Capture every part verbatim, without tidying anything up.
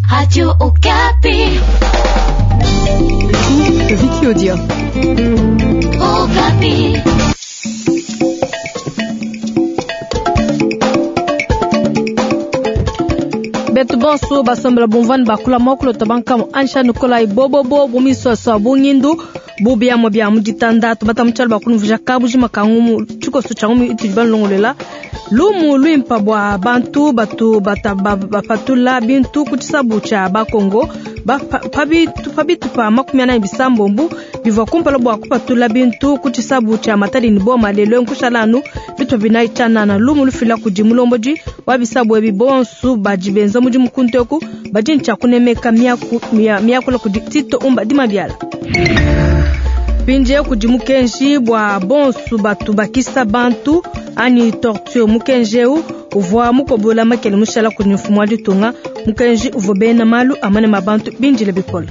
Radio Okapi. Vicky Odia. Okapi. Betu bonso basombela bumvani bakula mwakulota bankamu ansha nikolai bobobo bumiswaswa bungindu bubiamo bia muditanda tubata mutshalu bakunuvija kabujima kangumu tshikoso tshia ngumu itudi banlongolela lumu luimpa bua bantu batu bata bapatula bintu ku tshisabu tshia bakongo pa bitupa makumi anayi bisambombu bivua kumpala bua kupatula bintu ku tshisabu tshia matadi ne boma lelo nkushala anu bitupa binayi tshianana lumu lufila kudi mulombodi wa bisabu ebi bonsu badi benza mudimu kuntu eku badi ne tshia kunemeka miakula kudi Tito Umba Dimabiala. Mpindie kudi mukenji bua bonsu batu bakisa bantu anyi torture. Mukenji eu uvua mukobola makele mushala kudi mfumu wa ditunga. Mukenji uvua bena malu amane ma bantu bindile bikole.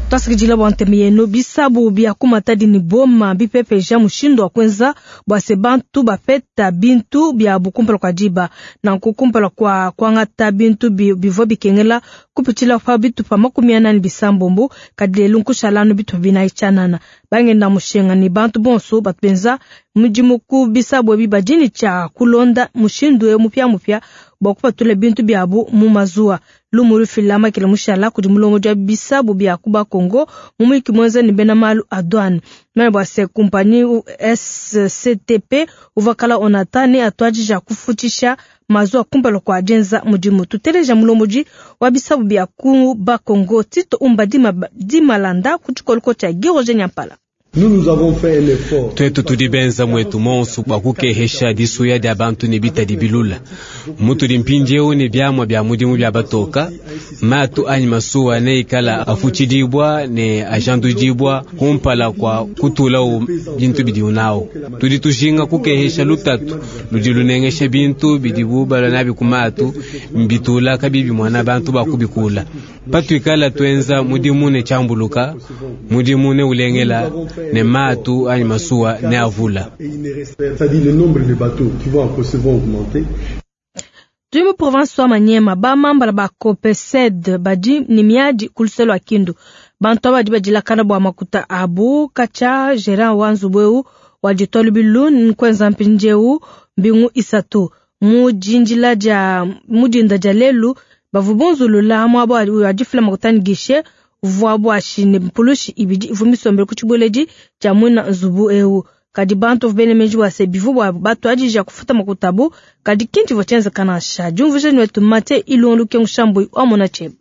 Twasikidila bua ntema yenu. Bisabu bia ku Matadi ne boma bipepeja mushindu wa kuenza bua se bantu bapeta bintu biabu kumpala kua diba. Nanku kumpala kua kuangata bintu bivua bikengela kupitshila pa bitupa makumi anayi ne bisambombo, kadi lelu nkushala anu bitupa binayi tshianana. Bangenda mushinga ne bantu bonso batu benza mudimu ku bisabu ebi badi ne tshia kulonda mushindu eu mupiamupia bua kupatula bintu biabu mu mazuwa. Lumu lufila makele mushala kudi mulombodi wa bisabu bia ku Bakongo mu muyiki muenza ne bena malu a douane. Mane bua se kumpanyi S C T P uvua kala Onata ne atuadija kufutshisha mazuwa kumpala kua dienza mudimu. Tuteleja mulombodi wa bisabu bia ku Bakongo Tito Umba Dimalanda ku tshikoloko tshia Guy Roger Nyampala. Twetu tudi benza mwetu monsu bua kukehesha disuya dia bantu ne bitadi bilula. Mutudi mpindieu ne biamua bia mudimu bia batoka, matu anyi masuwa neikala afutshidibua ne ajandudibua kumpala kua kutulawu bintu bidiwu nawu. Tudi tujinga kukehesha lutatu ludi lunengesha bintu bidibu balua nabi ku matu, mbitula kabibi muana bantu bakubikula. Patuikala tuenza mudimu ne tshiambuluka, mudimu ne ulengela ne matu anyi masuwa ne avula. Tudi mu province wa Maniema, bamambala ba Copesed badi ne miadi ku luseke lua Kindu. Bantu aba badi badilakana bua makuta abu katshia gerant wa nzubu eu wa ditua lubilu nkuenza mpindieu mbingu isatu. Mu dindila dia mu dinda dia lelu bavua bunzulula muaba wa difila makuta ne guichet uvua buashi ne mpulushi ibidi ivua misombele ku tshibueledi tshia muina nzubu eu. Kadi bantu bavua bena meji bua se bivua bua batuadija kufuta makuta abu, kadi ki ntshivua tshienzeka nansha. Diumvuija ne wetu Mathieu Ilungu Lukengu Shambui wa mona tshiebe.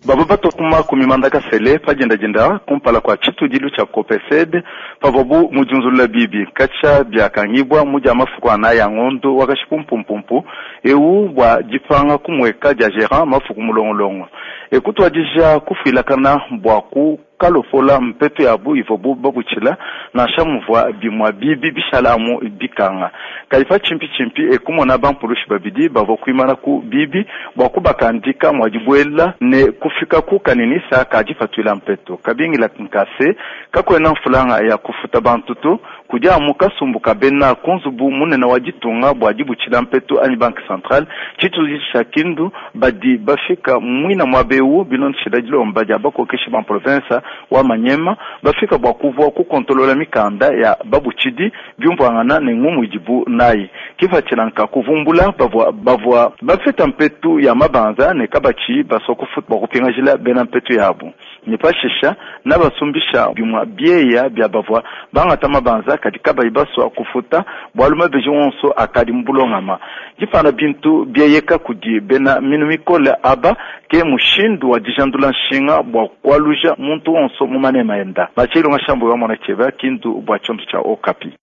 Bavua batua ku makumi manda kasele pa diendadienda kumpala kua tshitudilu tshia Copesed pavuabu mu diunzulula bibi katshia biakangibua mu dia mafuku anayi a ngondo wa kashipu-mpumpumpu eu bua dipanga kumueka dia gerant mafuku mulongolongo. Ekutuadija kufuilakana bua ku kalopola mpetu yabu ivuabu babutshila nansha muvua bimua bibi bishala amu bikanga. Kadi pa tshimpi-tshimpi ekumona bampulushi babidi bavua kuimana ku bibi bua kubakandika mua dibuela ne kufika ku kaninisa ka dipatuila mpetu. Kabingila nkase kakuena mfulanga ya kufuta bantu to, kudi amu kasumbu ka bena ku nzubu munene wa ditunga bua dibutshila mpetu anyi banque centrale tshitudi tshia Kindu badi bafika muina muaba eu bilondeshila dilomba dia bakokeshi ba province wa Maniema bafika bua kuvua kukontolola mikanda ya babutshidi biumvuangana ne ngumu idibu nayi. Kipatshila nka kuvumbula bavua, bavua bafeta mpetu ya mabanza ne kabatshi basua kufuta bua kupingajila bena mpetu yabu. Ne pashisha nabasumbisha bimua bieya bia bavua bangata mabanza kadi kabayi basua kufuta bualu mabeji wonso akadi mu bulongama. Dipana bintu bieyeka kudi bena minu mikole aba ke mushindu wa dijandula nshinga bua kualuja muntu wonso mu manema enda. Bachilonga shambu wa mona cheba Kindu bua tshiondo tshia Okapi.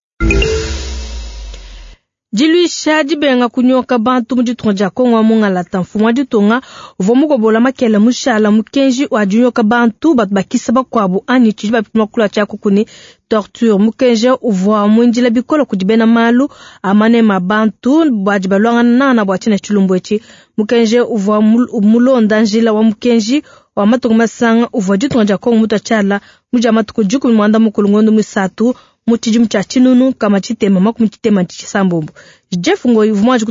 Diluisha dibenga kunyoka bantu mu ditunga dia Kongo wa Mungalata. Mfumu wa ditunga uvua mukobola makele mushala mukenji wa dinyoka bantu batu bakisa bakuabu anyi tshidi bapima kula tshia kukuni torture. Mukenji uvua muindila bikole kudi bena malu a manema bantu badi baluangana nana bua tshina tshilumbu etshi. Mukenji uvua mulonda njila wa mukenji wa matuku masanga uvua ditunga dia Kongo mutua tshiala mu dia matuku dikumi muanda mukulu ngondo musatu Mu tshidimu tshia tshinunu nkama tshitema makumi tshitema tshisambombo. Jeff Ngoyi uvua muanji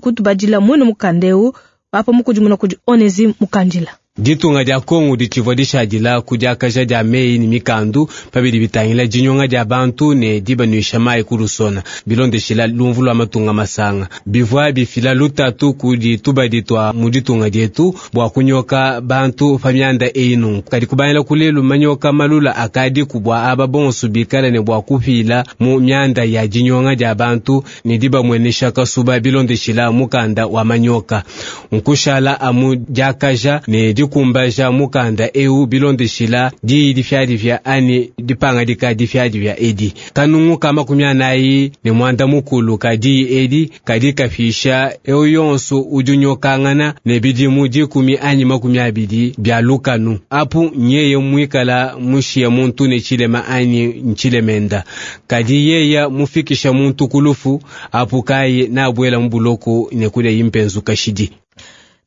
kutubadila muine mukanda eu apa mukudimuna kudi Onésime Mukandila. Ditunga dia Kongo ditshivua dishadila ku diakaja dia meyi ne mikandu pabidi bitangila dinyonga dia bantu ne dibanuisha mayi ku lusona bilondeshila lumvu lua matunga masanga bivua bifila lutatu kudi tubadi tua mu ditunga dietu bua kunyoka bantu pa mianda eyi nunku kadi kubangila kulelu manyoka malula akadi kubua aba bonso bikala ne bua kupila mu mianda ya dinyonga dia bantu ne dibamuenesha kasuba bilondeshila mukanda wa manyoka nkushala amu diakaja ne dikumbaja mukanda eu bilondeshila diyi difyadifya ani dipangadika difyadifya edi kanungu ka makumi anayi ne mwanda mukulu ka diyi edi kadi kafisha eu yonso udi unyokangana ne bidimu dikumi anyi makumi abidi bia lukanu apu nyeye muikala mushiya muntu ne tshilema anyi ntshilemenda kadi yeya mufikisha muntu kulufu apu kayi nabuela mubuloko ne kudia impenzu kashidi.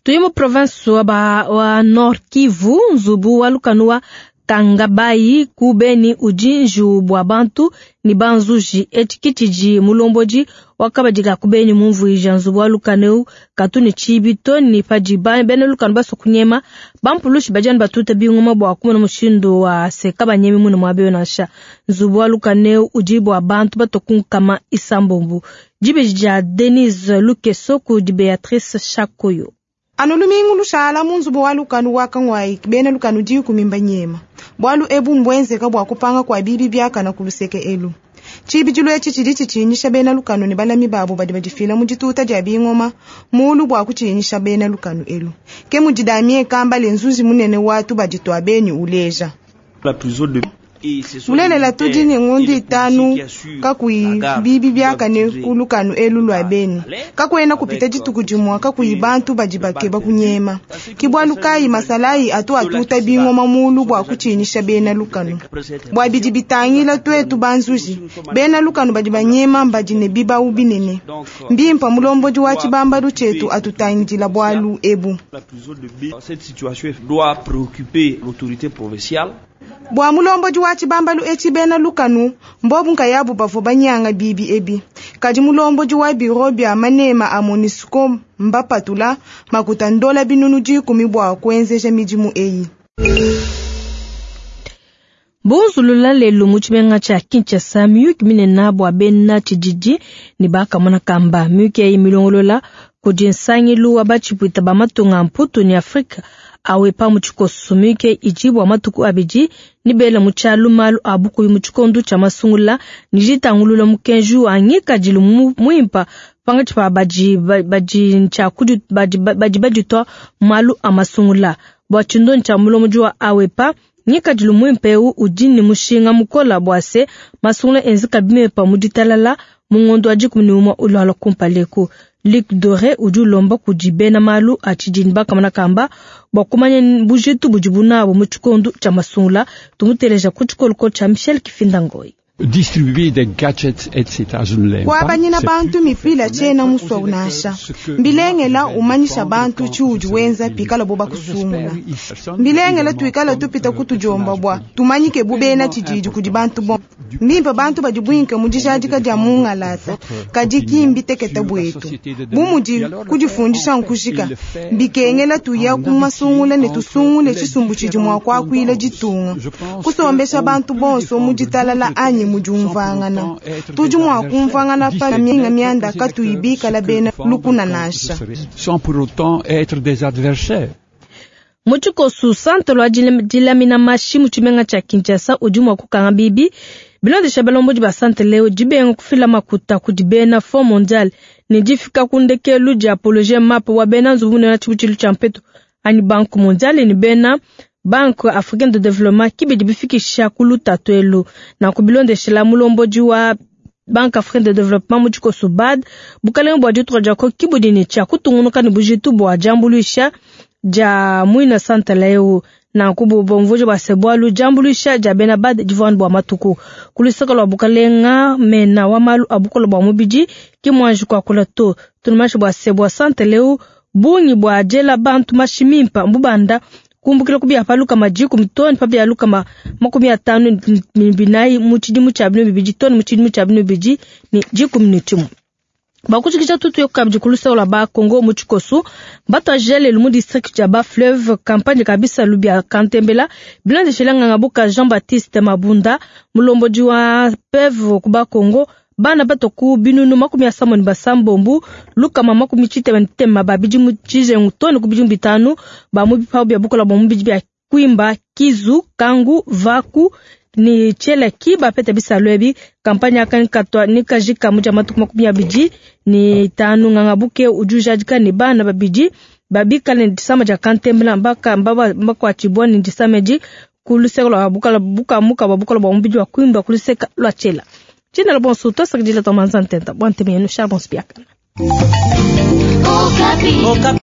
Tuyi mu province wa, ba, wa Nord Kivu nzubu wa lukanu wa Kangabayi ku Beni udi njiwu bua bantu ni banzuji etshi kitshidi mulombodi wakabadika ku Beni mumvuija nzubu wa lukanu eu katu ne tshibi to ni padi bena lukanu baso kunyema bampulushi badiani batuta bingoma bua kumona mushindu wa seka banyemi mune muabe nansha nzubu wa lukanu eu udi bua bantu batokunkama isambombu dibeji dia Denise Lukeso ku di Beatrice Chakoyo. Anu lumingu lushala mu nzubu wa lukanu wa Kangwayi bena lukanu dikumi mbanyema bwalu ebu mbwenzeka bwa kupanga kwa bibi byakana ku luseke elu tshibidilu etshi tshidi tshitshinyisha bena lukanu ne balami babo badi badifila mu dituta dia bingoma mulu bwa kutshinyisha bena lukanu elu ke mudi Damien Kambale nzuzi munene watu baditwa beni uleja mulelela tudi ne ngondo itanu kakuyi bibi byakane ku lukanu elu lwa beni kakwena kupita dituku dimue kakuyi bantu badi bakeba kunyema kibwalu kayi masalayi atu atuta bingoma mulu bwa kutshinyisha bena lukanu bwa bidi bitangila twetu banzuji bena lukanu badi banyema mbadi ne bibawu binene mbimpa mulombodi wa tshibambalu tshetu atutangidila bwalu ebu. Cette situation doit préoccuper l'autorité provinciale. Bwa mulombodi wa tshibambalu etshi bena lukanu mbobu nkayabu bavua banyanga bibi ebi kadi mulombodi wa biro bya manema a MONUSCO mbapatula makuta ndola binunu dikumi bwa kuenzeja midimu eyi. Bunzulula lelu mu tshimenga tshia Kinshasa miyuki minene bua bena tshididi ne bakamona kamba miyuki eyi milongolola kudi nsangilu wa batshipwita ba matunga mputu ne Afrika awe pa mu tshikoso miyuki idi bua matuku abidi ni bela mu tshialu malu a bukuyi mu tshikondu tshia masungula ni ditangulula mukenji wa ngikadilu muimpa pangatshi pa badi badi tshia badi badi baditwa malu a masungula bua tshindo tshia mulombodi wa awepa ngikadilu muimpe eu udi ne mushinga mukola bua se masungula enzeka bimpe mu ditalala mu ngondo wa dikumi ne umue ulwala kumpaleku. Luc Doré udi ulomba kudi bena malu a tshidini bakamona kamba bua kumanya bujitu budi bunabo mu tshikondu tshia masungula tumuteleja ku tshikoloko tshia Michel Kifinda Ngoyi. Distribuer des gadgets, et cetera. Je ne l'aime pas. Kwabanyina bantu mipila tshena muswa unasha mbilengela umanyisha bantu tshiudi wenza pikala bo bakusungula mbilengela tuikala tupita kutujomba bwa tumanyike bubena tshididi kudi bantu bo mbimpe bantu badi bwinke mu dijadika dia mungalata kadi kimbi teketa bwetu bumudi kudifundisha nkushika mbikengela tuya kumasungula ne tusungule tshisumbu tshidi mua kuakuila ditunga kusombesha bantu bonso mu ditalala anyi mujumvangana tudi mua kumvangana pa minga mianda katuibikala bena lukuna nasha sans pour autant être des adversaires. Mu tshikoso centre lwa dilamina mashi mu tshimenga tshia Kinshasa udi mua kukanga bibi bilondesha balombodi ba centre leo dibenga kufila makuta kudi bena Fonds mondial ne difika ku ndekelu dia apologie map wa bena nzubu munene tshibutshilu tshia mpetu ani Banque mondiale ne bena Banque africaine de développement kibidi bifikisha ku lutatu elu na kubilondeshela mulombodi wa Banque africaine de développement mu tshikoso B A D bukalenge bua ditunga dia Kongo kibudi ne tshia kutungunuka ne bujitu bua diambuluisha dia muina santala eu na kububomvuja bua se bualu diambuluisha dia bena B A D divuanu bua matuku kulusaka lua bukalenga mena wa malu a bukola bua mubidi ki muanji kuakula to tunumashi bua se bua santala eu bungi bua diela bantu mashi mimpa mbubanda Kumbukila ku bia pa lukama dikumi too ne pa bia lukama makumi atanu ne binayi mu tshidimu tshia binu bibidi too ne mu tshidimu tshia binu bibidi ne dikumi ne tshimue. Bakushikisha tutu yo kabidi ku luseke lua ba Congo mu tshikosu batuajile lelu mu district ya ba fleuve campagne kabisa lubia kantembela bilondeshile nganga buka Jean Baptiste Mabunda mulombodi wa P E V ku ba Congo. Bana bato ku binunu makumi asambo ne basambombo lukama makumi tshitema ne tema ba bidimu tshijengu too ne ku bidimu bitanu ba mu bipawu bia bukola bua mubidi bia Kwimba, Kizu, Kangu, Vaku ni Tshielaki bapeta bisalu ebi. Campagne aka nikatwa nikajika mu dia matuku makumi abidi ne tanu. Nganga buke udi ujadika ne bana babidi babikale ne disama dia kantembela mbaka mbakuatshibua ne disama edi ku luseke lua bukala bukamuka bua bukola bua mubidi wa Kwimba ku luseke lua Tshiela. Tshina la bonso tosakidila tomanza ntenta bua ntema yenu. Charbon Spiakana. Okapi.